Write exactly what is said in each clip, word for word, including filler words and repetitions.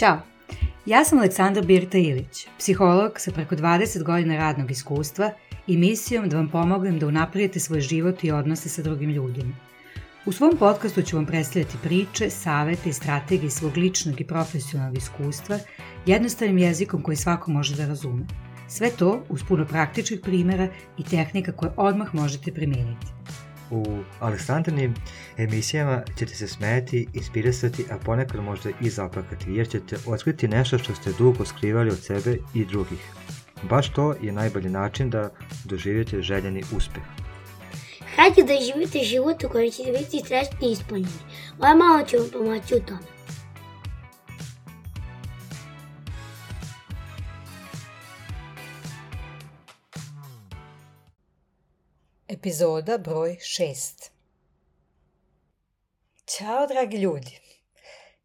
Ćao, ja sam Aleksandra Birta Ilić, psiholog sa preko dvadeset godina radnog iskustva i misijom da vam pomognem da unaprijete svoj život i odnose sa drugim ljudima. U svom podcastu ću vam predstavljati priče, savete i strategije svog ličnog i profesionalnog iskustva jednostavnim jezikom koji svako može da razume. Sve to uz puno praktičnih primjera i tehnika koje odmah možete primijeniti. U Aleksandrinim emisijama ćete se smijeti, inspirisati, a ponekad možda i zaplakati, jer ćete otkriti nešto što ste dugo skrivali od sebe i drugih. Baš to je najbolji način da doživite željeni uspeh. Hajde da živite život u kojem ćete biti srećni i ispunjeni. Moja mama će vam pomoći u tome. Epizoda broj šest. Ćao, dragi ljudi.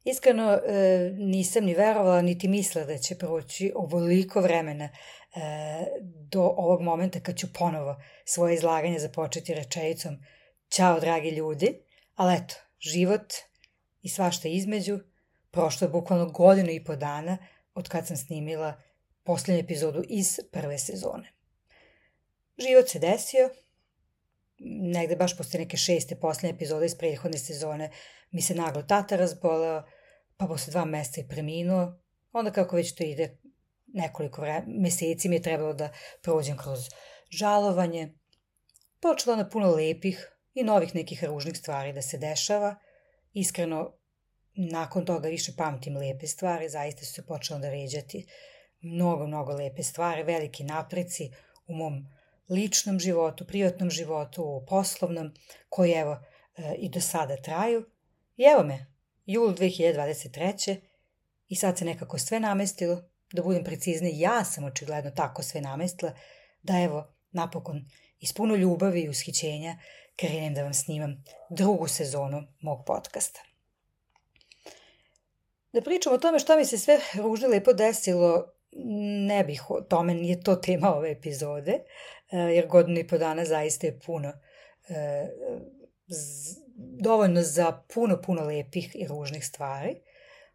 Iskreno e, nisam ni verovala niti mislila da će proći ovoliko vremena e, do ovog momenta kad ću ponovo svoje izlaganje započeti rečenicom ćao, dragi ljudi, ali eto, život i svašta između, prošlo je bukvalno godinu i po dana od kad sam snimila posljednju epizodu iz prve sezone. Život se desio. Negde baš posle neke šeste posljednje epizode iz prethodne sezone mi se naglo tata razboleo, pa posle dva meseca i preminuo. Onda kako već to ide, nekoliko vre... meseci mi je trebalo da prođem kroz žalovanje. Počelo na puno lepih i novih nekih ružnih stvari da se dešava. Iskreno, nakon toga više pamtim lepe stvari, zaista su se počelo da ređati mnogo, mnogo lepe stvari, veliki napreci u mom ličnom životu, privatnom životu, poslovnom, koji evo e, i do sada traju. I evo me, jul dve hiljade dvadeset treće i sad se nekako sve namestilo, da budem precizniji, ja sam očigledno tako sve namestila, da evo napokon iz puno ljubavi i ushićenja krenem da vam snimam drugu sezonu mog podcasta. Da pričam o tome šta mi se sve ružno lepo desilo, ne bih o tome, nije to tema ove epizode, jer godinu i po dana zaista je puno, dovoljno za puno, puno lepih i ružnih stvari.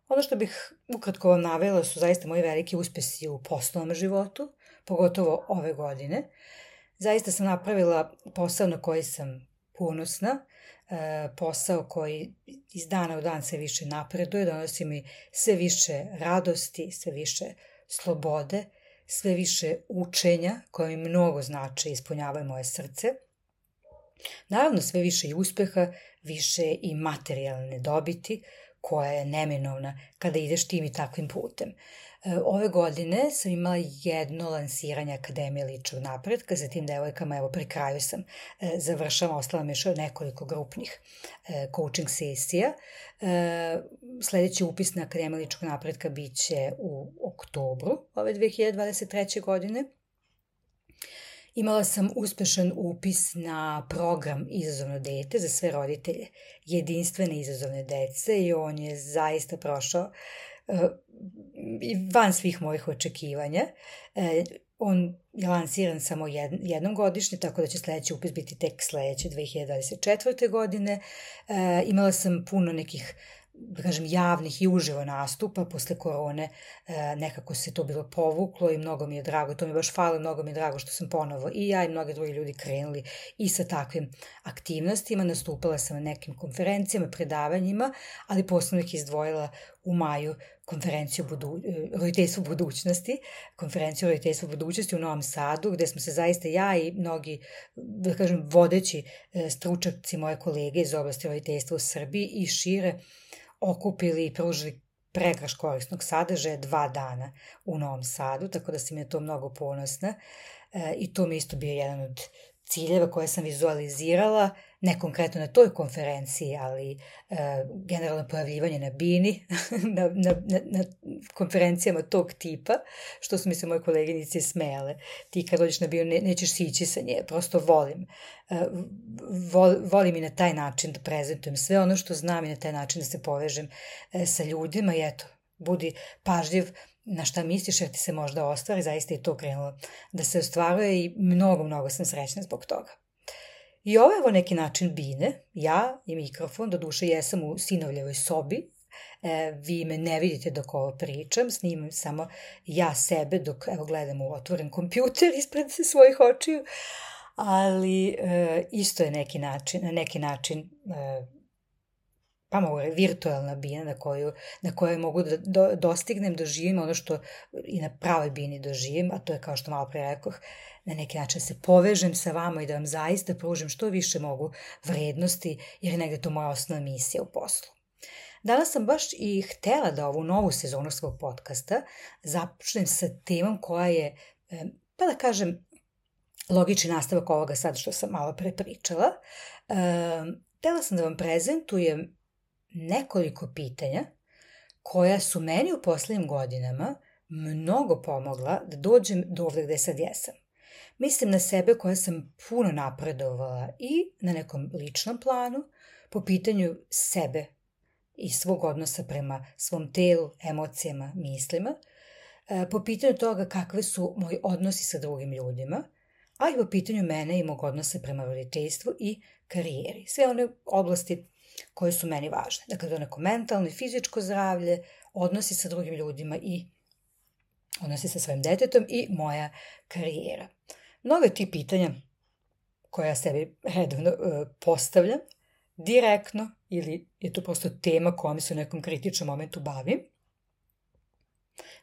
Ono što bih ukratko vam navela su zaista moji veliki uspesi u poslovnom životu, pogotovo ove godine. Zaista sam napravila posao na koji sam ponosna, posao koji iz dana u dan sve više napreduje, donosi mi sve više radosti, sve više slobode, sve više učenja koje mi mnogo znače i ispunjavaju moje srce. Naravno sve više i uspeha, više i materijalne dobiti koja je neminovna kada ideš tim i takvim putem. Ove godine sam imala jedno lansiranje Akademije ličnog napretka sa tim devojkama, evo pri kraju sam završala, ostala mi još nekoliko grupnih coaching sesija. Sljedeći upis na Akademiju ličnog napretka bit će u oktobru ove dve hiljade dvadeset treće. godine. Imala sam uspešan upis na program Izazovno dete za sve roditelje jedinstvene izazovne dece i on je zaista prošao uh, van svih mojih očekivanja. Uh, on je lansiran samo jed, jednom godišnje, tako da će sljedeći upis biti tek sljedeće dve hiljade dvadeset četvrte. godine. Uh, imala sam puno nekih, da kažem, javnih i uživo nastupa. Posle korone e, nekako se to bilo povuklo i mnogo mi je drago, to mi baš fali, mnogo mi je drago što sam ponovo i ja i mnogi drugi ljudi krenuli i sa takvim aktivnostima. Nastupala sam na nekim konferencijama, predavanjima, ali posebno ih izdvojila u maju konferenciju budu, roditeljstvo budućnosti, konferenciju roditeljstvo budućnosti u Novom Sadu, gde smo se zaista ja i mnogi, da kažem, vodeći stručnjaci, moje kolege iz oblasti roditeljstva u Srbiji i šire okupili i pružili pregršt korisnog sadržaja dva dana u Novom Sadu, tako da sam je to mnogo ponosna e, i to mi isto bio jedan od ciljeva koje sam vizualizirala, ne konkretno na toj konferenciji, ali e, generalno pojavljivanje na bini, na, na, na, na konferencijama tog tipa, što su mi se moje koleginice smejale. Ti kad dođeš na binu ne, nećeš sići sa nje, prosto volim. E, vol, volim i na taj način da prezentujem sve ono što znam i na taj način da se povežem e, sa ljudima i eto, budi pažljiv na šta misliš jer ti se možda ostvari, zaista je to krenulo da se ostvaruje i mnogo, mnogo sam srećna zbog toga. I ovo je evo neki način bine, ja i mikrofon, doduše jesam u sinovljevoj sobi, E, vi me ne vidite dok ovo pričam, snimam samo ja sebe dok evo, gledam u otvoren kompjuter ispred svojih očiju, ali e, isto je neki način, na neki način e, pa mogu je virtualna bina na koju, na kojoj mogu da do, dostignem, doživim ono što i na pravoj bini doživim, a to je kao što malo pre rekoh, na neki način se povežem sa vama i da vam zaista pružim što više mogu vrednosti, jer je negde to moja osnovna misija u poslu. Danas sam baš i htela da ovu novu sezonu svog podcasta započnem sa temom koja je, pa da kažem, logični nastavak ovoga sad što sam malo pre pričala. Htela sam da vam prezentujem nekoliko pitanja koja su meni u poslednjim godinama mnogo pomogla da dođem do ovde gde sad jesam. Mislim na sebe koja sam puno napredovala i na nekom ličnom planu po pitanju sebe i svog odnosa prema svom telu, emocijama, mislima, po pitanju toga kakve su moji odnosi sa drugim ljudima, a i po pitanju mene i mog odnosa prema roditeljstvu i karijeri. Sve one oblasti koje su meni važne. Dakle, to neko mentalno i fizičko zdravlje, odnosi sa drugim ljudima i odnosi sa svojim detetom i moja karijera. Mnogo je ti pitanja koja ja sebi redovno uh, postavljam, direktno ili je to prosto tema kojom se u nekom kritičnom momentu bavim.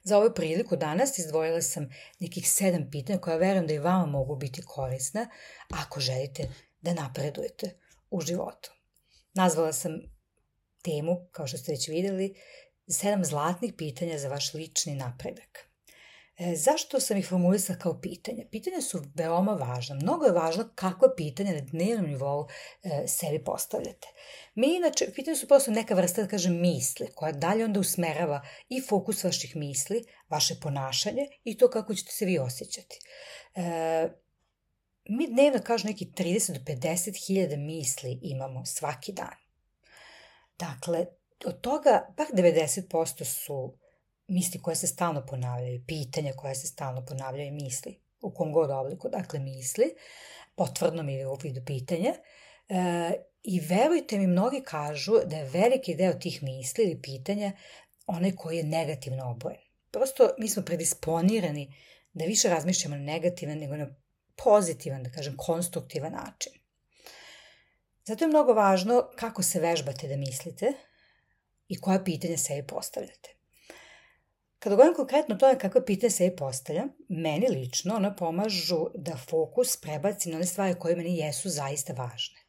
Za ovu priliku danas izdvojila sam nekih sedam pitanja koja verujem da i vama mogu biti korisna ako želite da napredujete u životu. Nazvala sam temu, kao što ste već vidjeli, sedam zlatnih pitanja za vaš lični napredak. E, zašto sam ih formulisala kao pitanja? Pitanja su veoma važna. Mnogo je važno kakva pitanja na dnevnom nivou e, sebi postavljate. Mi inače, pitanja su prosto neka vrsta, da kažem, misli, koja dalje onda usmerava i fokus vaših misli, vaše ponašanje i to kako ćete se vi osjećati. E, mi dnevno, kažu neki trideset do pedeset hiljada misli imamo svaki dan. Dakle, od toga bar devedeset posto su misli koje se stalno ponavljaju, pitanja koje se stalno ponavljaju, misli, u kom god obliku, dakle misli, potvrdnom ili u vidu pitanja. E, I verujte mi, mnogi kažu da je veliki deo tih misli ili pitanja onaj koji je negativno obojen. Prosto mi smo predisponirani da više razmišljamo na negativan nego na pozitivan, da kažem, konstruktivan način. Zato je mnogo važno kako se vežbate da mislite i koja pitanja sebi postavljate. Kada govorim konkretno o tome kakve pitanje sebi postavljam, meni lično ona pomažu da fokus prebacim na one stvari koje meni jesu zaista važne.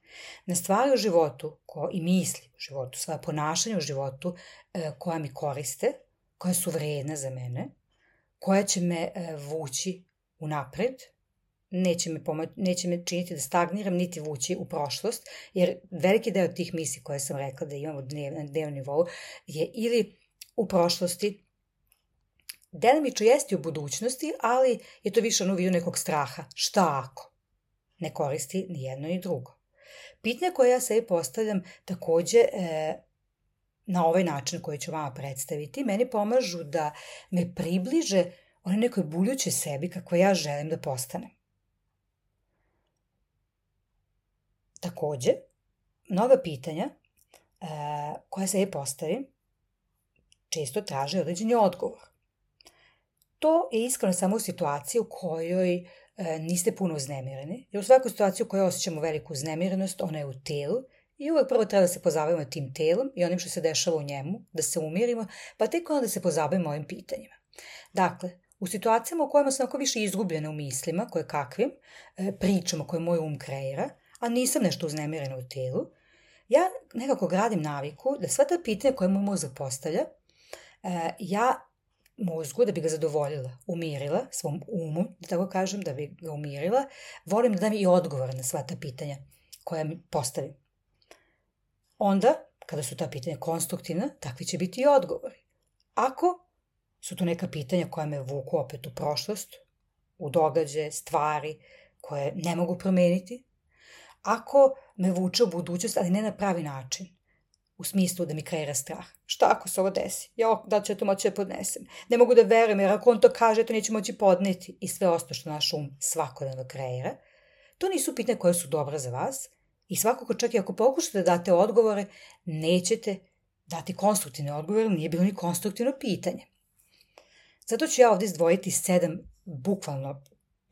Na stvari u životu ko, i misli u životu, svoje ponašanje u životu e, koja mi koriste, koja su vredna za mene, koja će me e, vući unapred, neće me, pomoć, neće me činiti da stagniram, niti vući u prošlost, jer veliki deo tih misli koje sam rekla da imam na dnevnom nivou je ili u prošlosti, delimično jeste u budućnosti, ali je to više ono u vidu nekog straha. Šta ako? Ne koristi ni jedno ni drugo. Pitanja koje ja sebi postavljam takođe e, na ovaj način koji ću vama predstaviti, meni pomažu da me približe onoj nekoj buljućoj sebi kako ja želim da postanem. Takođe, mnoga pitanja e, koja sebi postavim često traže određeni odgovor. To je iskreno samo u situaciji u kojoj e, niste puno uznemireni, jer u svakoj situaciji u kojoj osjećamo veliku uznemirenost, ona je u telu i uvek prvo treba da se pozabavimo tim telom i onim što se dešava u njemu, da se umirimo, pa tek onda da se pozabavimo ovim pitanjima. Dakle, u situacijama u kojima sam ako više izgubljena u mislima, koje kakvim, e, pričama koje moj um kreira, a nisam nešto uznemirena u telu, ja nekako gradim naviku da sva ta pitanja koje moj mozak postavlja, e, ja mozgu, da bi ga zadovoljila, umirila, svom umu, da tako kažem, da bi ga umirila, volim da dam i odgovor na sva ta pitanja koja mi postavim. Onda, kada su ta pitanja konstruktivna, takvi će biti i odgovori. Ako su to neka pitanja koja me vuku opet u prošlost, u događaje, stvari koje ne mogu promeniti, ako me vuče u budućnost, ali ne na pravi način, u smislu da mi kreira strah. Šta ako se ovo desi? Ja, da ću ja to moći da podnesem? Ne mogu da verujem, jer ako on to kaže, to neću moći podneti. I sve ostalo što naš um svakodnevno kreira. To nisu pitanja koje su dobra za vas. I svakako čak i ako pokušate da date odgovore, nećete dati konstruktivne odgovore, nije bilo ni konstruktivno pitanje. Zato ću ja ovde izdvojiti sedam bukvalno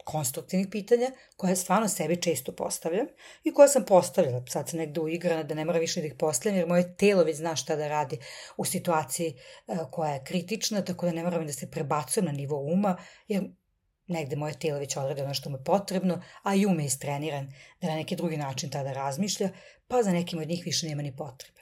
konstruktivnih pitanja koje stvarno sebi često postavljam i koje sam postavljala. Sad sam negde uigrana da ne mora više da ih postavljam jer moje telo već zna šta da radi u situaciji koja je kritična, tako da ne moram da se prebacujem na nivo uma jer negde moje telo već odradi ono što mu je potrebno, a i um je istreniran da na neki drugi način tada razmišlja, pa za nekim od njih više nema ni potrebe.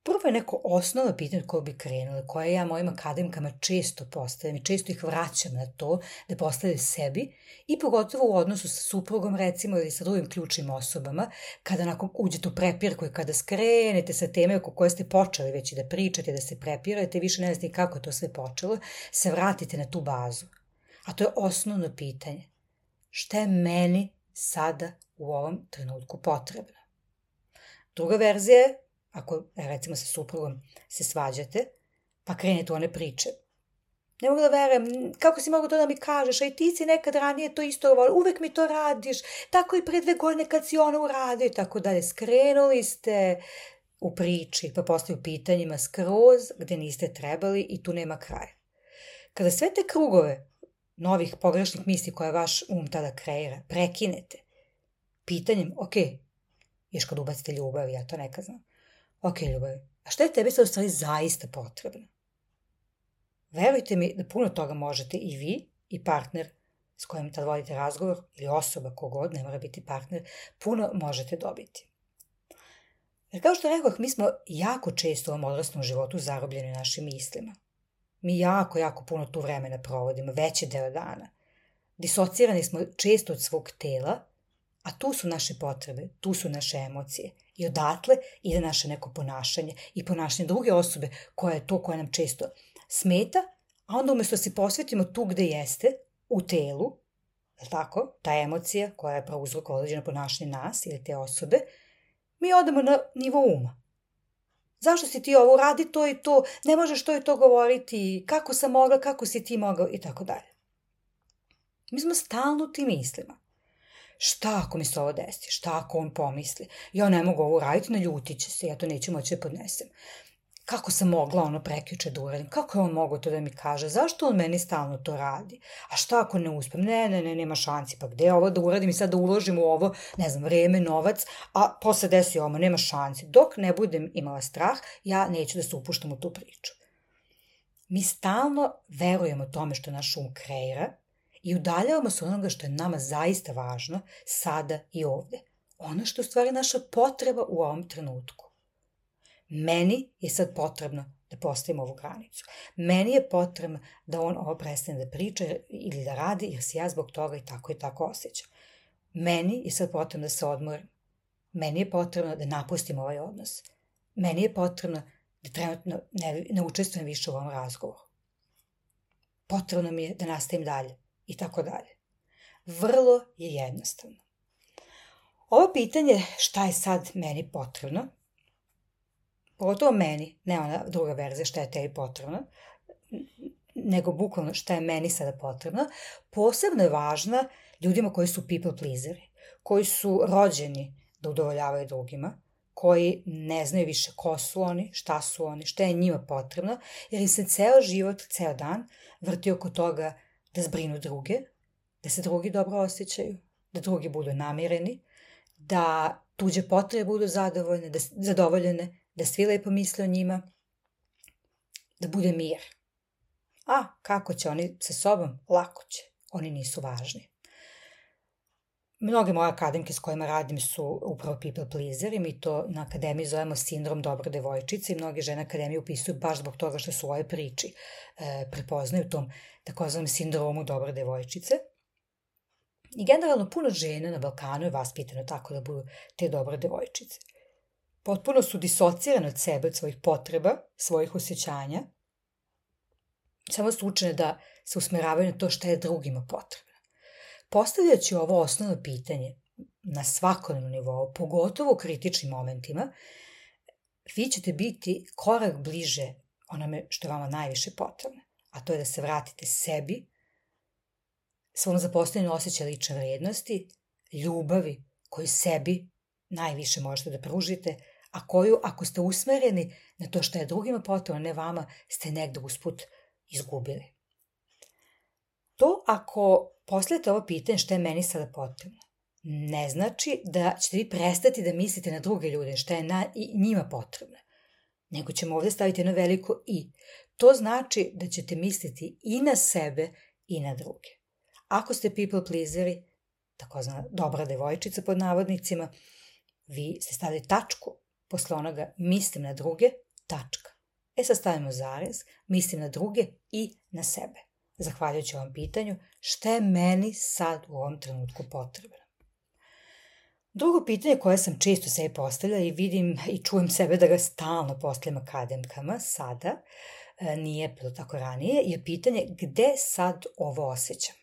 Prvo je neko osnovno pitanje koje bi krenule, koje ja mojim akademkama često postavljam i često ih vraćam na to da postavljaju sebi i pogotovo u odnosu sa suprugom recimo ili sa drugim ključnim osobama, kada nakon uđete u prepirku i kada skrenete sa teme oko koje ste počeli već i da pričate, da se prepirate, više ne znate kako to sve počelo, se vratite na tu bazu. A to je osnovno pitanje. Šta je meni sada u ovom trenutku potrebno? Druga verzija je, ako recimo sa suprugom se svađate, pa krenete u one priče. Ne mogu da verujem, kako si mogu to da mi kažeš, a i ti si nekad ranije to isto govorio, uvek mi to radiš, tako i pre dve godine kad si ona uradio i tako dalje. Skrenuli ste u priči, pa postaju pitanjima skroz gde niste trebali i tu nema kraja. Kada sve te krugove novih pogrešnih misli koje vaš um tada kreira, prekinete pitanjem, ok, još kad ubacite ljubav, ja to nekad znam, ok, ljubavi, a šta je tebi sad u stvari zaista potrebno? Verujte mi da puno toga možete i vi i partner s kojim tad vodite razgovor ili osoba kogod, ne mora biti partner, puno možete dobiti. Jer kao što rekoh, mi smo jako često u ovom odraslom životu zarobljeni našim mislima. Mi jako, jako puno tu vremena provodimo, veći deo dana. Disocirani smo često od svog tela, a tu su naše potrebe, tu su naše emocije. I odatle ide naše neko ponašanje i ponašanje druge osobe koja je to koja nam često smeta, a onda umjesto da se posvetimo tu gde jeste, u telu, je tako, ta emocija koja je prouzrok određeno ponašanje nas ili te osobe, mi odemo na nivo uma. Zašto si ti ovo, radi to i to, ne možeš to i to govoriti, kako sam mogla, kako si ti mogao i tako dalje. Mi smo stalno u tim mislima. Šta ako mi se ovo desi, šta ako on pomisli, ja ne mogu ovo raditi, naljutit će se, ja to neću moći da podnesem. Kako sam mogla ono prekjuče da uradim, kako je on mogao to da mi kaže, zašto on meni stalno to radi, a šta ako ne uspem, ne, ne, ne, nema šanci, pa gde ovo da uradim i sad da uložim u ovo, ne znam, vreme, novac, a posle desi ovo, nema šanci, dok ne budem imala strah, ja neću da se upuštam u tu priču. Mi stalno verujemo tome što naš um kreira i udaljavamo se onoga što je nama zaista važno sada i ovde, ono što je u stvari naša potreba u ovom trenutku. Meni je sad potrebno da postavim ovu granicu. Meni je potrebno da on ovo prestane da priča ili da radi jer se ja zbog toga i tako i tako osjećam. Meni je sad potrebno da se odmorim. Meni je potrebno da napustim ovaj odnos. Meni je potrebno da trenutno ne, ne učestvujem više u ovom razgovoru. Potrebno mi je da nastavim dalje i tako dalje. Vrlo je jednostavno. Ovo pitanje šta je sad meni potrebno, pogotovo meni, ne ona druga verzija šta je tebi potrebno, nego bukvalno šta je meni sada potrebno, posebno je važna ljudima koji su people pleaseri, koji su rođeni da udovoljavaju drugima, koji ne znaju više ko su oni, šta su oni, šta je njima potrebno, jer im se ceo život, ceo dan vrti oko toga da zbrinu druge, da se drugi dobro osjećaju, da drugi budu namireni, da tuđe potrebe budu zadovoljne, da, zadovoljene, da svi lepo misle o njima, da bude mir. A kako će oni sa sobom? Lako će. Oni nisu važni. Mnoge moje akademke s kojima radim su upravo people pleaseri, mi to na akademiji zovemo sindrom dobre devojčice i mnoge žene akademije upisuju baš zbog toga što su u ovoj priči e, prepoznaju tom takozvanom sindromu dobre devojčice. I generalno puno žena na Balkanu je vaspitano tako da budu te dobre devojčice. Potpuno su disocirane od sebe, od svojih potreba, svojih osjećanja. Samo su učene da se usmeravaju na to šta je drugima potrebno. Postavljajući ovo osnovno pitanje na svakodnevnom nivou, pogotovo u kritičnim momentima, vi ćete biti korak bliže onome što je vama najviše potrebno, a to je da se vratite sebi, svom zapostavljenom osjećaju lične vrednosti, ljubavi koju sebi najviše možete da pružite, a koju, ako ste usmereni na to što je drugima potrebno, ne vama, ste negde usput izgubili. To ako postavite ovo pitanje što je meni sada potrebno, ne znači da ćete vi prestati da mislite na druge ljude, što je na, i njima potrebno, nego ćemo ovde staviti jedno veliko i. To znači da ćete misliti i na sebe i na druge. Ako ste people pleaseri, takozvana dobra devojčica pod navodnicima, vi ste stavili tačku posle onoga mislim na druge, tačka. E sad stavimo zarez, mislim na druge i na sebe. Zahvaljujući ovom pitanju, šta je meni sad u ovom trenutku potrebno? Drugo pitanje koje sam često sebi postavljala i vidim i čujem sebe da ga stalno postavljam akademkama sada, nije bilo tako ranije, je pitanje gde sad ovo osjećam.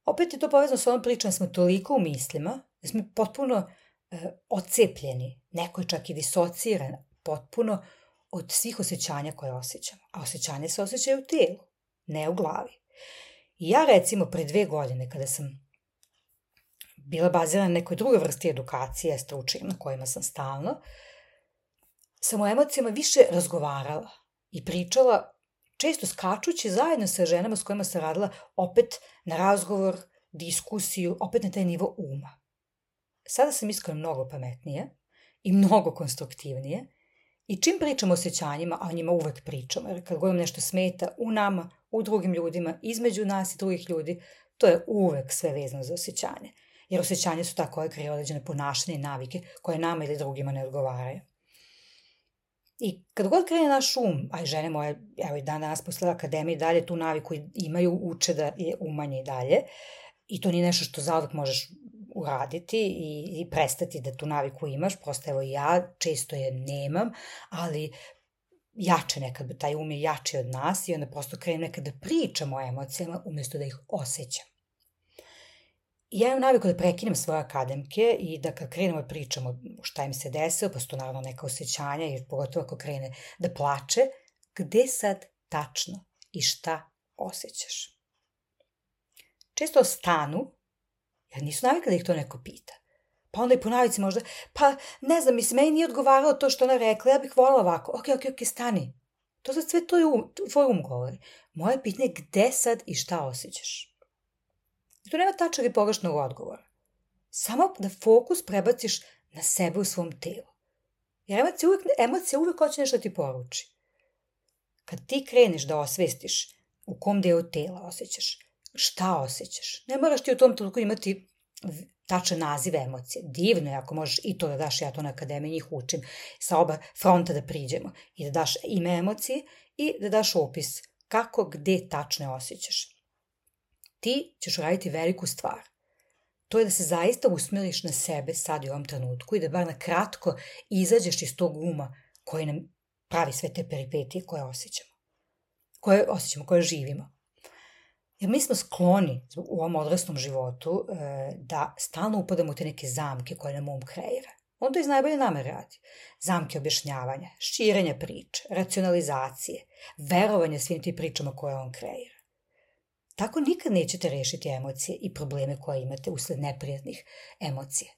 Opet je to povezano s ovom pričom, smo toliko u mislima, da smo potpuno e, ocepljeni, neko je čak i disociran potpuno od svih osjećanja koje osjećamo. A osjećanje se osjećaju u telu, ne u glavi. I ja recimo pre dve godine kada sam bila bazirana na nekoj drugoj vrsti edukacije, stručnim, na kojima sam stalno, sam o emocijama više razgovarala i pričala, često skačući zajedno sa ženama s kojima sam radila, opet na razgovor, diskusiju, opet na taj nivo uma. Sada sam iskreno mnogo pametnije i mnogo konstruktivnije i čim pričam o osjećanjima, a o njima uvek pričam, jer kad govorim nešto smeta u nama, u drugim ljudima, između nas i drugih ljudi, to je uvek sve vezano za osjećanje. Jer osjećanje su ta koje kreiraju određene ponašanje i navike koje nama ili drugima ne odgovaraju. I kad god krene naš um, a i žene moje, evo i dan danas posle akademije dalje tu naviku imaju, uče da je umanje i dalje, i to nije nešto što zauvek možeš uraditi i, i prestati da tu naviku imaš, prosto evo ja često je nemam, ali jače nekad, taj um je jači od nas i onda prosto krenem nekad da pričam o emocijama umjesto da ih osjećam. Ja imam naviku da prekinem svoje akademke i da kad krenemo da pričamo šta im se desilo, pa su to naravno neka osjećanja, jer pogotovo ako krene da plače, gde sad tačno i šta osjećaš. Često stanu, jer nisu navikli da ih to neko pita. Pa onda i po navici možda, pa ne znam, mislim, meni nije odgovaralo to što ona rekla, ja bih volila ovako, ok, ok, ok, stani. To sad sve to je um, tvoj um govori. Moje pitanje je gde sad i šta osjećaš. I tu nema tačnog i pogrešnog odgovora. Samo da fokus prebaciš na sebe u svom telu. Jer emocija uvek, emocija uvek hoće nešto ti poruči. Kad ti kreneš da osvestiš u kom delu tela osjećaš, šta osjećaš, ne moraš ti u tom trenutku imati tačan naziv emocije. Divno je ako možeš i to da daš, ja to na akademiji njih učim, sa oba fronta da priđemo i da daš ime emocije i da daš opis kako, gde tačno osjećaš. Ti ćeš uraditi veliku stvar. To je da se zaista usmeriš na sebe sad i u ovom trenutku i da bar na kratko izađeš iz tog uma koji nam pravi sve te peripetije koje osjećamo. Koje osjećamo, koje živimo. Jer mi smo skloni u ovom odraslom životu da stalno upadamo u te neke zamke koje nam um kreira. On to iz najbolje namere radi. Zamke objašnjavanja, širenja priče, racionalizacije, verovanja svim tim pričama koje on kreira. Tako nikad nećete rešiti emocije i probleme koje imate usled neprijatnih emocija.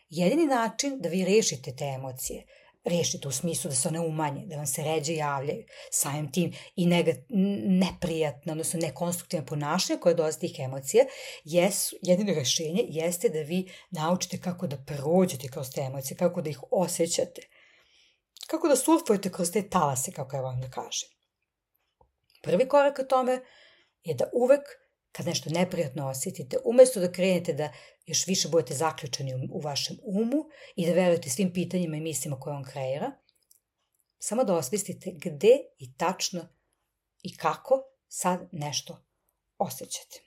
Jedini način da vi rešite te emocije, rešite u smislu da se one umanje, da vam se ređe javljaju, samim tim i neprijatno, odnosno nekonstruktivno ponašanje koje dolazi tih emocija, jesu, jedino rešenje jeste da vi naučite kako da prođete kroz te emocije, kako da ih osjećate, kako da surfujete kroz te talase, kako ja vam da kažem. Prvi korak ka tome je da uvek, kad nešto neprijatno osjetite, umesto da krenete da još više budete zaključani u vašem umu i da verujete svim pitanjima i mislima koje on kreira, samo da osvestite gde i tačno i kako sad nešto osjećate.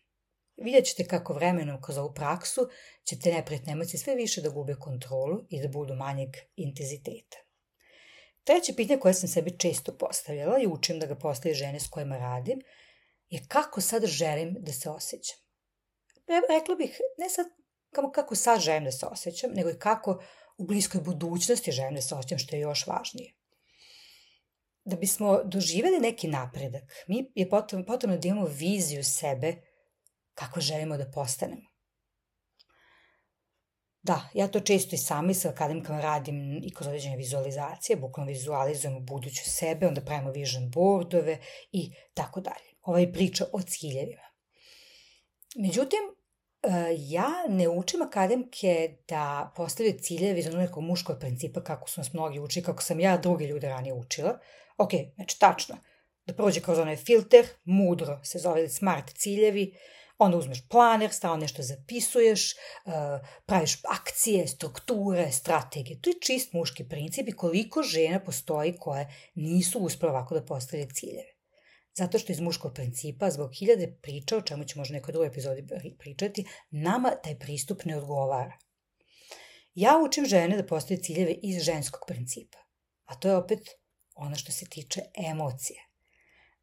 Vidjet ćete kako vremenom kroz ovu praksu će te neprijatne emocije sve više da gube kontrolu i da budu manjeg intenziteta. Treće pitanje koje sam sebi često postavljala i učim da ga postavljaju žene s kojima radim, je kako sad želim da se osjećam. Rekla bih, ne sad kako sad želim da se osjećam, nego i kako u bliskoj budućnosti želim da se osjećam, što je još važnije. Da bismo doživjeli neki napredak, mi je potrebno, potrebno da imamo viziju sebe kako želimo da postanemo. Da, ja to često i sami sa akademikama radim i kroz određene vizualizacije, bukvalno vizualizujemo buduću sebe, onda pravimo vision boardove i tako dalje. Ova je priča o ciljevima. Međutim, ja ne učim akademike da postavljaju ciljeve iz onog nekog muškog principa kako su nas mnogi učili, kako sam ja drugi ljude ranije učila. Ok, znači tačno, da prođe kroz onaj filter, mudro se zove smart ciljevi, onda uzmeš planer, stalno nešto zapisuješ, praviš akcije, strukture, strategije. To je čist muški princip i koliko žena postoji koje nisu uspjela ovako da postavljaju ciljeve. Zato što iz muškog principa, zbog hiljade priča, o čemu ću možda nekoj drugoj epizodi pričati, nama taj pristup ne odgovara. Ja učim žene da postavljaju ciljeve iz ženskog principa, a to je opet ono što se tiče emocije.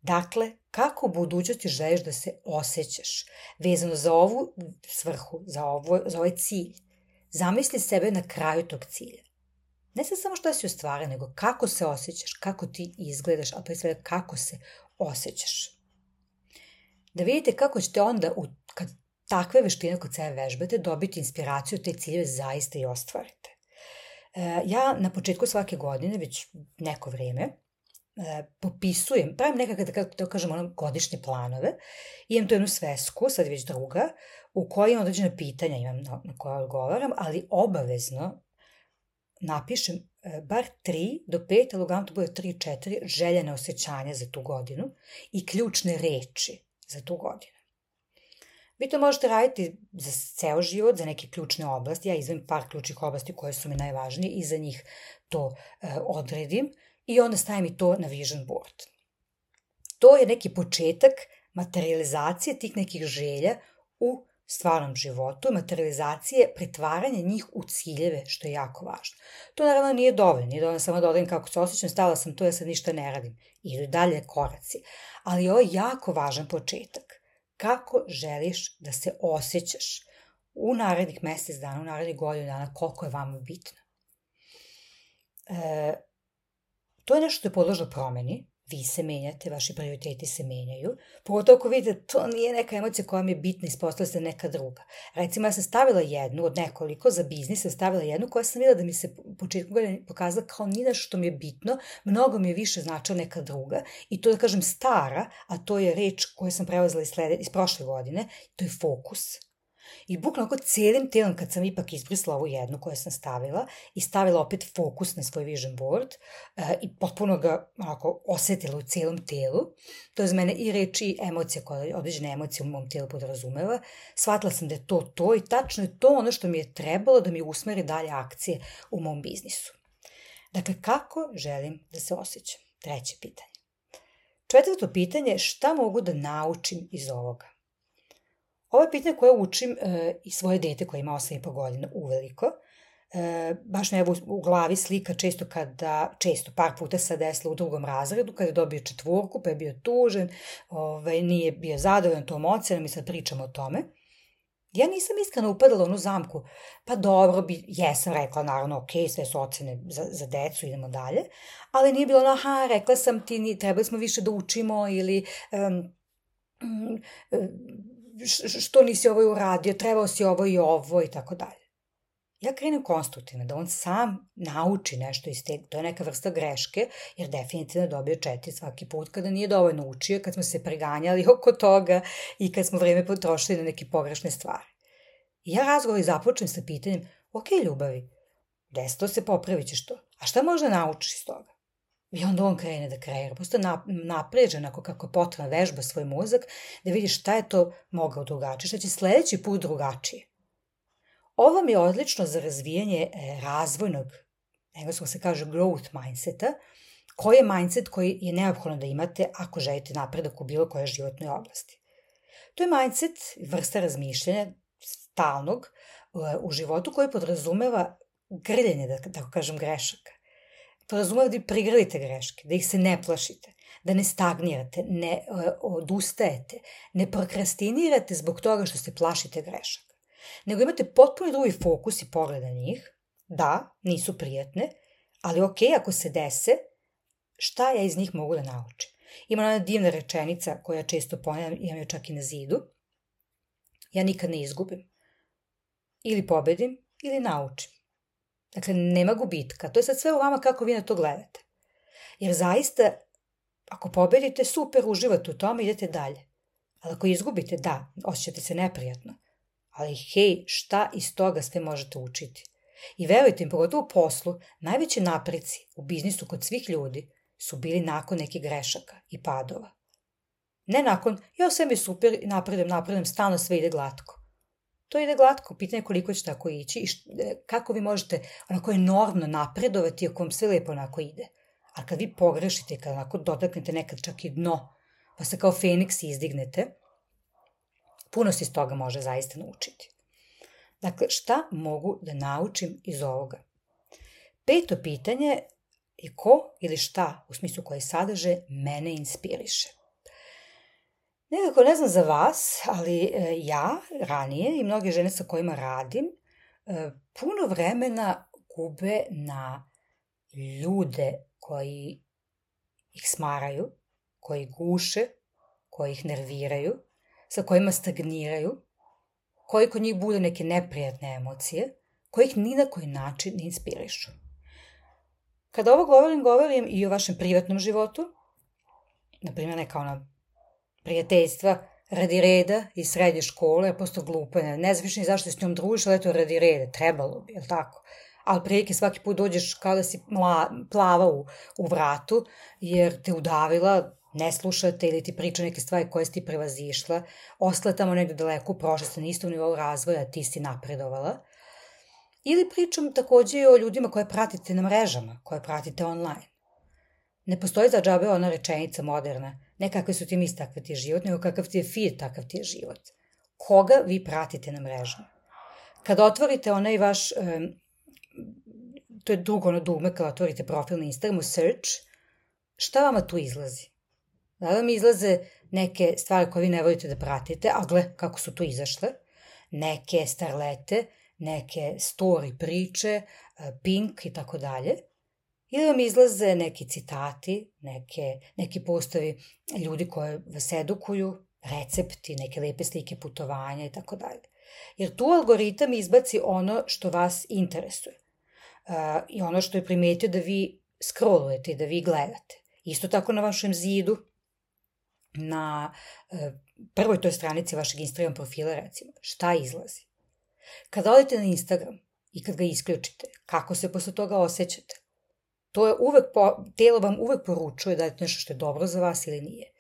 Dakle, kako u budućnosti želiš da se osjećaš vezano za ovu svrhu, za, ovo, za ovaj cilj? Zamisli sebe na kraju tog cilja. Ne sad samo što si ostvario, nego kako se osjećaš, kako ti izgledaš, a pre svega kako se osjećaš. Da vidite kako ćete onda, kad takve veštine kod sebe vežbate, dobiti inspiraciju te ciljeve zaista i ostvarite. Ja na početku svake godine, već neko vrijeme, popisujem, pravim nekakve, da to kažem, ono, godišnje planove. Imam tu jednu svesku, sad je već druga, u kojoj imam određene pitanja imam na, na koje odgovaram, ali obavezno napišem bar tri do pet, ali uglavnom to bude tri, četiri željene osjećanja za tu godinu i ključne reči za tu godinu. Vi to možete raditi za ceo život, za neke ključne oblasti. Ja izvem par ključnih oblasti koje su mi najvažnije i za njih to e, odredim i onda stavim i to na vision board. To je neki početak materializacije tih nekih želja u stvarnom životu, materializacije, pretvaranje njih u ciljeve, što je jako važno. To naravno nije dovoljno, nije dovoljno samo da odredim kako se osjećam, stavila sam to, ja sad ništa ne radim. Idu dalje koraci. Ali ovo je jako važan početak. Kako želiš da se osjećaš u narednih mjesec dana, u narednih godinu dana, koliko je vama bitno. E, to je nešto što je podložno promeni. Vi se menjate, vaši prioriteti se menjaju. Pogotovo ako vidite, to nije neka emocija koja mi je bitna, ispostavila se neka druga. Recimo, ja sam stavila jednu od nekoliko, za biznis sam stavila jednu koja sam vidjela da mi se u početku godine pokazala kao ni nešto što mi je bitno, mnogo mi je više značila neka druga. I to da kažem stara, a to je reč koju sam preuzela iz, slede, iz prošle godine, to je fokus. I bukvalno ako cijelim telom, kad sam ipak izbrisla ovu jednu koju sam stavila i stavila opet fokus na svoj vision board uh, i potpuno ga onako osjetila u cijelom telu, to je za mene i reči i emocije, koje određene emocije u mom tijelu podrazumeva, shvatila sam da je to to i tačno je to ono što mi je trebalo da mi usmeri dalje akcije u mom biznisu. Dakle, kako želim da se osjećam? Treće pitanje. Četvrto pitanje je šta mogu da naučim iz ovoga? Ovo je pitanje koje učim e, i svoje dete koje ima osam i po godina uveliko. E, baš me evo u glavi slika često kada, često par puta se desilo u drugom razredu, kada je dobio četvorku, pa je bio tužen, ovaj, nije bio zadovoljan tom ocenom i sad pričamo o tome. Ja nisam iskreno upadala u onu zamku, pa dobro, bi, jesam rekla, naravno, ok, sve su ocene za, za decu, idemo dalje, ali nije bilo ono, aha, rekla sam ti, trebali smo više da učimo ili... Um, um, što nisi ovo uradio, trebao si ovo i ovo i tako dalje. Ja krenem konstruktivno, da on sam nauči nešto iz te, to je neka vrsta greške, jer definitivno dobio četiri svaki put kada nije dovoljno učio, kad smo se preganjali oko toga i kad smo vreme potrošili na neke pogrešne stvari. I ja razgovor započnem sa pitanjem, ok, ljubavi, desilo se, popravit ćeš to, a šta možda naučiš iz toga? I onda on krene da kreira, posto napređen ako kako potrebno vežba svoj mozak, da vidiš šta je to mogao drugačije, šta će sljedeći put drugačije. Ovo mi je odlično za razvijanje razvojnog, engleskom se kaže growth mindseta, koji je mindset koji je neophodno da imate ako želite napredak u bilo kojoj životnoj oblasti. To je mindset, vrsta razmišljanja stalnog u životu koji podrazumeva grljenje, da tako kažem, grešaka. Podrazumeva da prigrlite greške, da ih se ne plašite, da ne stagnirate, ne odustajete, ne prokrastinirate zbog toga što se plašite grešaka. Nego imate potpuno drugi fokus i pogled na njih. Da, nisu prijatne, ali ok, ako se dese, šta ja iz njih mogu da naučim? Ima ona divna rečenica koja često ponavljam, imam je čak i na zidu. Ja nikad ne izgubim. Ili pobedim, ili naučim. Dakle, nema gubitka. To je sad sve u vama kako vi na to gledate. Jer zaista, ako pobedite, super, uživate u tome, idete dalje. Ali ako izgubite, da, osjećate se neprijatno. Ali hej, šta iz toga sve možete učiti? I verujte im, pogotovo u poslu, najveći napreci u biznisu kod svih ljudi su bili nakon nekih grešaka i padova. Ne nakon, ja sve mi super, napredujem, napredujem, stalno sve ide glatko. To ide glatko, pitanje koliko će tako ići i kako vi možete onako enormno napredovati ako vam sve lepo onako ide. A kad vi pogrešite i kad onako dotaknete nekad čak i dno, pa se kao Feniks izdignete, puno se iz toga može zaista naučiti. Dakle, šta mogu da naučim iz ovoga? Peto pitanje je ko ili šta, u smislu koje sadrže, mene inspiriše. Nekako ne znam za vas, ali ja ranije i mnoge žene sa kojima radim puno vremena gube na ljude koji ih smaraju, koji guše, koji ih nerviraju, sa kojima stagniraju, koji kod njih bude neke neprijatne emocije, koji ih ni na koji način ne inspirišu. Kada ovo govorim, govorim i o vašem privatnom životu, na primjer neka ona prijateljstva radi reda iz srednje škole, je posto glupa, ne, ne znam više ni zašto s njom družiš, ali eto radi reda, trebalo bi, je li tako? Ali prilike svaki put dođeš kao da si mla, plava u, u vratu, jer te udavila, ne slušate ili ti priča neke stvari koje si ti prevazišla, ostala tamo negde daleko, prošla ste na istom nivou razvoja, a ti si napredovala. Ili pričam takođe i o ljudima koje pratite na mrežama, koje pratite online. Ne postoji za džabe ona rečenica moderna, ne kakve su ti misli, takav ti je život, nego kakav ti je feed, takav ti je život. Koga vi pratite na mrežama? Kada otvorite onaj vaš, um, to je drugo ono dugme, kada otvorite profil na Instagramu, search, šta vama tu izlazi? Da vam izlaze neke stvari koje vi ne volite da pratite, a gle kako su tu izašle, neke starlete, neke story priče, Pink i tako dalje, ili vam izlaze neki citati, neke, neki postovi ljudi koje vas edukuju, recepti, neke lepe slike putovanja i tako dalje. Jer tu algoritam izbaci ono što vas interesuje uh, i ono što je primetio da vi scrollujete i da vi gledate. Isto tako na vašem zidu, na uh, prvoj toj stranici vašeg Instagram profila, recimo, šta izlazi. Kada odete na Instagram i kad ga isključite, kako se posle toga osjećate? To je uvek, po, telo vam uvek poručuje da je nešto što je dobro za vas ili nije.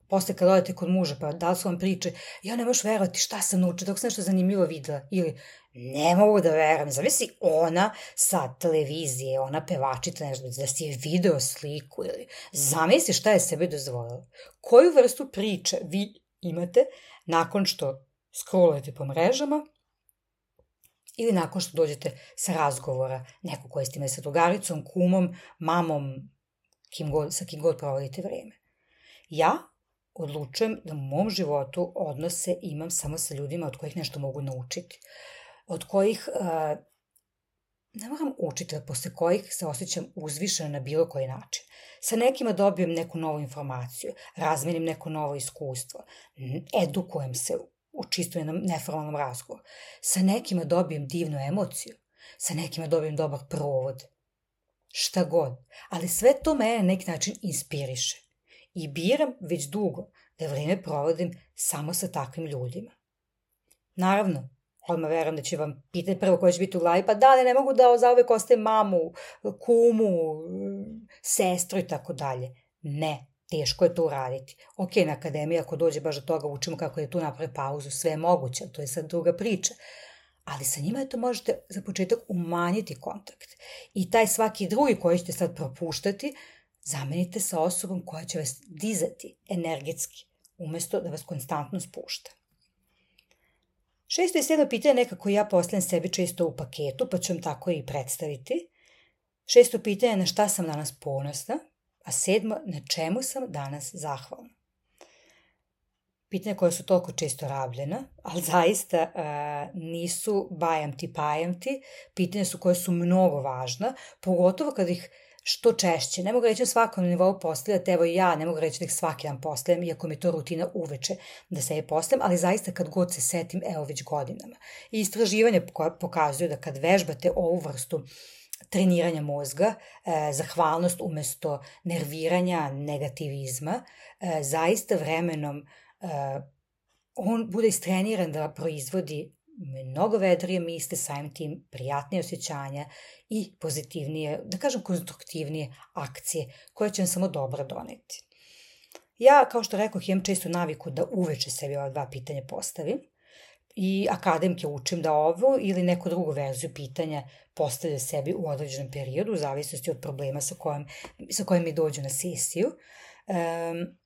Posle kad odete kod muža, pa da li su vam priče, ja ne možeš verovati šta sam naučila, dok sam nešto zanimljivo videla, ili ne mogu da verujem, zamisli ona sa televizije, ona pevačica, nešto, da si je video sliku, ili zamisli šta je sebe dozvolila. Koju vrstu priče vi imate nakon što scrollujete po mrežama, ili nakon što dođete sa razgovora, neko koji ste imali sa drugaricom, kumom, mamom, kim god, sa kim god provodite vreme. Ja odlučujem da u mom životu odnose imam samo sa ljudima od kojih nešto mogu naučiti, od kojih uh, ne moram učiti, ali posle kojih se osjećam uzvišena na bilo koji način. Sa nekima dobijem neku novu informaciju, razmenim neko novo iskustvo, edukujem se u čisto jednom neformalnom razgovoru. Sa nekima dobijem divnu emociju, sa nekima dobijem dobar provod. Šta god. Ali sve to mene na neki način inspiriše. I biram već dugo da vreme provodim samo sa takvim ljudima. Naravno, odmah verujem da će vam pitati prvo koje će biti u glavi, pa da li ne mogu da zauvek ostajem mamu, kumu, sestru i tako dalje. Ne. Teško je to uraditi. Ok, na akademiji ako dođe baš do toga učimo kako je tu napravi pauzu, sve je moguće, to je sad druga priča. Ali sa njima je to možete za početak umanjiti kontakt. I taj svaki drugi koji ćete sad propuštati, zamenite sa osobom koja će vas dizati energetski, umesto da vas konstantno spušta. Šesto i sedmo pitanje nekako ja postavljam sebi često u paketu, pa ću vam tako i predstaviti. Šesto pitanje je na šta sam danas ponosna, a sedmo, na čemu sam danas zahvalna. Pitanja koja su toliko često rabljena, ali zaista uh, nisu bajam ti, pajam ti, pitanja su koje su mnogo važna, pogotovo kad ih što češće. Ne mogu reći na svakom nivou postavljati, evo i ja ne mogu reći da ih svaki dan postavljam, iako mi je to rutina uveče da se je postavljam, ali zaista kad god se setim, evo već godinama. I istraživanje pokazuju da kad vežbate ovu vrstu treniranja mozga, e, zahvalnost umesto nerviranja, negativizma, e, zaista vremenom e, on bude istreniran da proizvodi mnogo vedrije misli, samim tim prijatnije osjećanja i pozitivnije, da kažem konstruktivnije akcije koje će vam samo dobro doneti. Ja, kao što rekoh, imam često naviku da uveče sebi ova dva pitanja postavim i akademke učim da ovo ili neku drugu verziju pitanja postavlja sebi u određenom periodu, u zavisnosti od problema sa kojim, sa kojim mi dođu na sesiju. Um,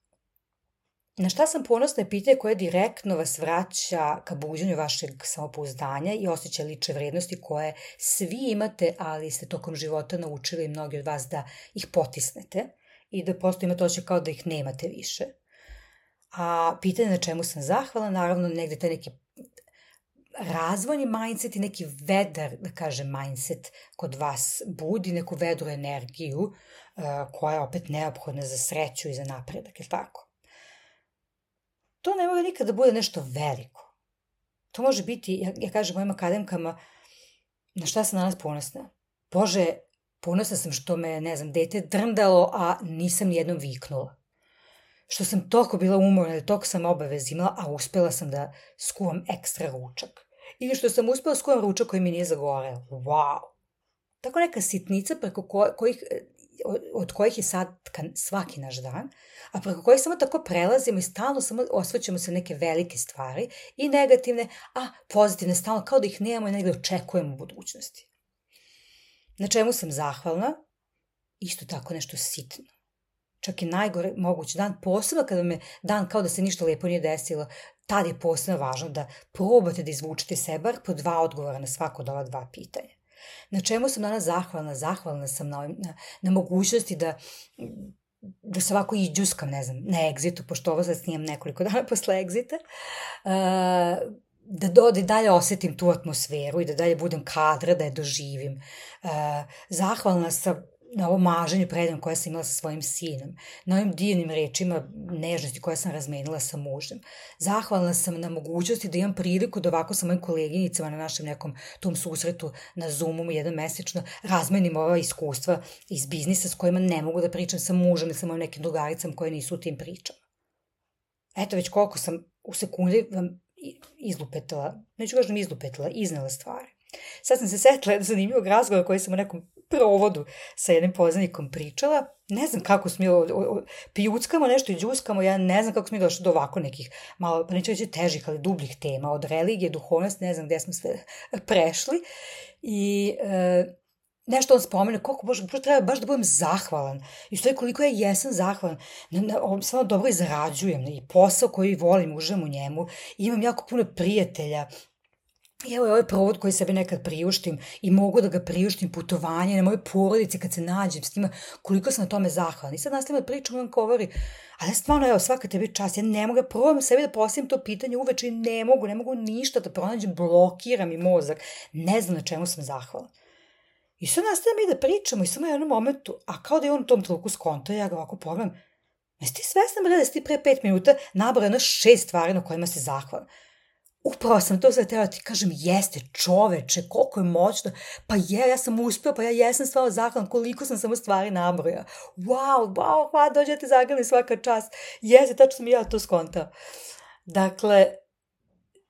Na šta sam ponosna je pitanje koje direktno vas vraća ka buđenju vašeg samopouzdanja i osjećaja lične vrednosti koje svi imate, ali ste tokom života naučili mnogi od vas da ih potisnete i da prosto imate osjećaj kao da ih nemate više. A pitanje na čemu sam zahvala, naravno negde taj neki razvojni mindset i neki vedar, da kažem, mindset kod vas budi neku vedru energiju uh, koja je opet neophodna za sreću i za napredak, je li tako? To ne mora nikada da bude nešto veliko. To može biti, ja, ja kažem mojim akademkama, na šta sam danas ponosna? Bože, ponosna sam što me, ne znam, dete drndalo, a nisam nijednom viknula. Što sam toliko bila umorna, da toliko sam obavez imala, a uspela sam da skuvam ekstra ručak. Ili što sam uspela skuvam ručak koji mi nije zagoreo. Wow! Tako neka sitnica preko ko, kojih, od kojih je sad svaki naš dan, a preko kojih samo tako prelazimo i stalno samo osvrćemo se neke velike stvari i negativne, a pozitivne stalno, kao da ih nemamo i negde očekujemo u budućnosti. Na čemu sam zahvalna? Isto tako nešto sitno. Čak i najgore mogući dan, posebno kada me dan kao da se ništa lepo nije desilo, tad je posebno važno da probate da izvučete se bar po dva odgovora na svako od ova dva pitanja. Na čemu sam danas zahvalna? Zahvalna sam na, na, na mogućnosti da, da se ovako iđuskam, ne znam, na egzitu, pošto ovo sad snimam nekoliko dana posle egzita, uh, da, do, da dalje osetim tu atmosferu i da dalje budem kadra, da je doživim. Uh, zahvalna sam na ovom maženju predam koje sam imala sa svojim sinom, na ovim divnim rečima nežnosti koje sam razmenila sa mužem. Zahvalna sam na mogućnosti da imam priliku da ovako sa mojim koleginicama na našem nekom tom susretu na Zoomu jedan mesečno razmenim ova iskustva iz biznisa s kojima ne mogu da pričam sa mužem ili sa mojim nekim drugaricama koje nisu u tim pričama. Eto već koliko sam u sekundi vam izlupetala, neću kažem izlupetala, iznela stvari. Sad sam se setila jednog zanimljivog razgovora koji sam u nekom provodu sa jednim poznanikom pričala. Ne znam kako smo mi pijuckamo nešto i džuskamo, ja ne znam kako smo mi došli do ovako nekih malo, pa neću reći težih, ali dubljih tema, od religije, duhovnosti, ne znam gde smo sve prešli. I e, nešto on spomene, koliko bože, treba baš da budem zahvalan. I što je koliko ja jesam zahvalan. Na, na, samo dobro i zarađujem i posao koji volim, uživam u njemu. I imam jako puno prijatelja. I evo je ovaj provod koji sebi nekad priuštim i mogu da ga priuštim, putovanje na moje porodice kad se nađem s njima, koliko sam na tome zahvalna. I sad nastavim da pričam i on govori, ali stvarno evo svaka tebi čast, ja ne mogu, probam sebi da postavim to pitanje uveče i ne mogu, ne mogu ništa da pronađem, blokiram mi mozak, ne znam na čemu sam zahvalna. I sad nastavim mi da pričamo i samo u jednom momentu, a kao da je on u tom trenutku skonto, ja ga ovako pogledam, jesi ti svesna bre da si ti pre pet minuta nabrao jedno šest stvari na kojima si zahvalna? Upravo sam to sad treba ti kažem, jeste čoveče, koliko je moćno, pa je, ja sam uspio, pa ja jesam stvarno zahvalan, koliko sam samo stvari nabroja. Wow, wow, hvala, dođete zagrani svaka čast. Jeste, tačno sam i ja to skontao. Dakle,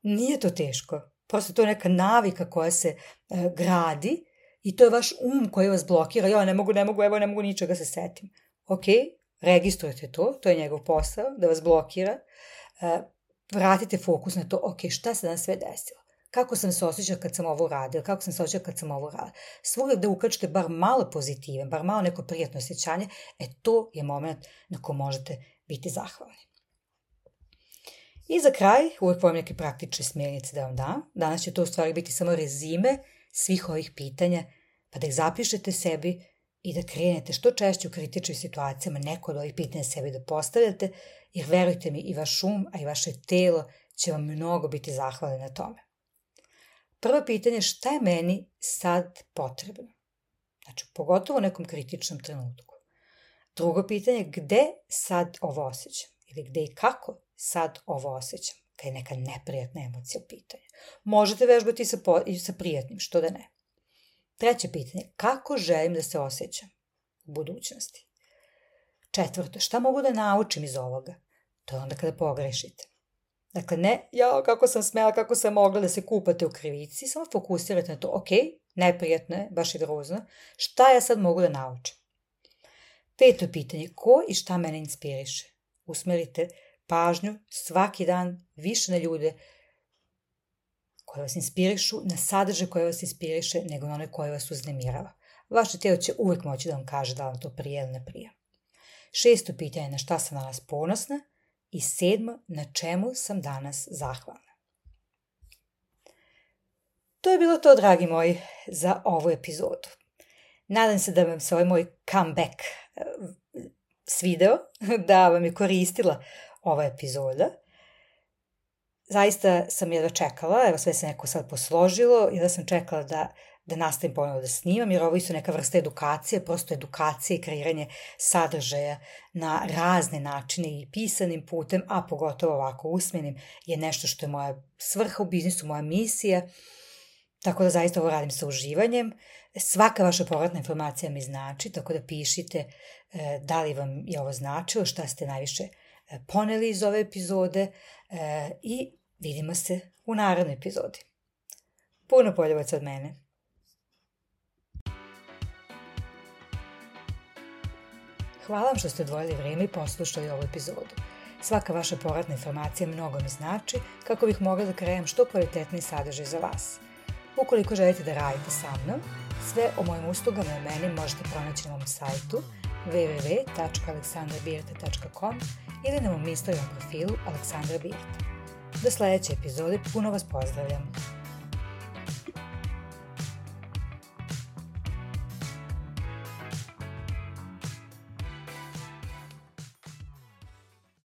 nije to teško, prosto to je neka navika koja se uh, gradi i to je vaš um koji vas blokira, ja ne mogu, ne mogu, evo ne mogu ničega se setim. Ok, registrujete to, to je njegov posao, da vas blokira, uh, vratite fokus na to, ok, šta se danas sve desilo? Kako sam se osjećala kad sam ovo radila? Kako sam se osjećala kad sam ovo radila? Svugdje da ukačete bar malo pozitivan, bar malo neko prijatno osjećanje, e to je moment na ko možete biti zahvalni. I za kraj, uvijek volim neke praktične smjernice da vam dam. Danas će to u stvari biti samo rezime svih ovih pitanja, pa da ih zapišete sebi i da krenete što češće u kritičnim situacijama neko od ovih pitanja sebi da postavljate, jer verujte mi i vaš um, a i vaše telo će vam mnogo biti zahvalni na tome. Prvo pitanje, šta je meni sad potrebno? Znači, pogotovo u nekom kritičnom trenutku. Drugo pitanje, gde sad ovo osjećam? Ili gde i kako sad ovo osjećam? Kad je neka neprijatna emocija u pitanju. Možete vežbati sa, po, i sa prijatnim, što da ne. Treće pitanje, kako želim da se osjećam u budućnosti? Četvrto, šta mogu da naučim iz ovoga? To je onda kada pogrešite. Dakle, ne, ja kako sam smela, kako sam mogla da se kupate u krivici, samo fokusirate na to, ok, neprijatno je, baš i grozno, šta ja sad mogu da naučim? Peto pitanje, ko i šta mene inspiriše? Usmerite pažnju svaki dan više na ljude koje vas inspirišu, na sadržaj koje vas inspiriše, nego na one koje vas uznemirava. Vaše tijelo će uvijek moći da vam kaže da vam to prije ili ne prije. Šesto pitanje, na šta sam danas ponosna? I sedmo, na čemu sam danas zahvalna? To je bilo to, dragi moji, za ovu epizodu. Nadam se da vam se ovaj moj comeback svideo, da vam je koristila ova epizoda. Zaista sam jedva čekala, evo sve se neko sad posložilo, jedva sam čekala da, da nastavim ponovno da snimam, jer ovo isto neka vrsta edukacije, prosto edukacije i kreiranje sadržaja na razne načine i pisanim putem, a pogotovo ovako usmenim, je nešto što je moja svrha u biznisu, moja misija, tako da zaista ovo radim sa uživanjem. Svaka vaša povratna informacija mi znači, tako da pišite da li vam je ovo značilo, šta ste najviše poneli iz ove epizode i vidimo se u narednoj epizodi. Puno poljubaca od mene. Hvala vam što ste odvojili vrijeme i poslušali ovu epizodu. Svaka vaša povratna informacija mnogo mi znači kako bih mogla da kreiram što kvalitetniji sadržaj za vas. Ukoliko želite da radite sa mnom, sve o mojim uslugama i o meni možete pronaći na mom sajtu w w w tačka aleksandra birta tačka com ili na mom Instagram profilu Aleksandra Birta. Do sljedeće epizode puno vas pozdravljam.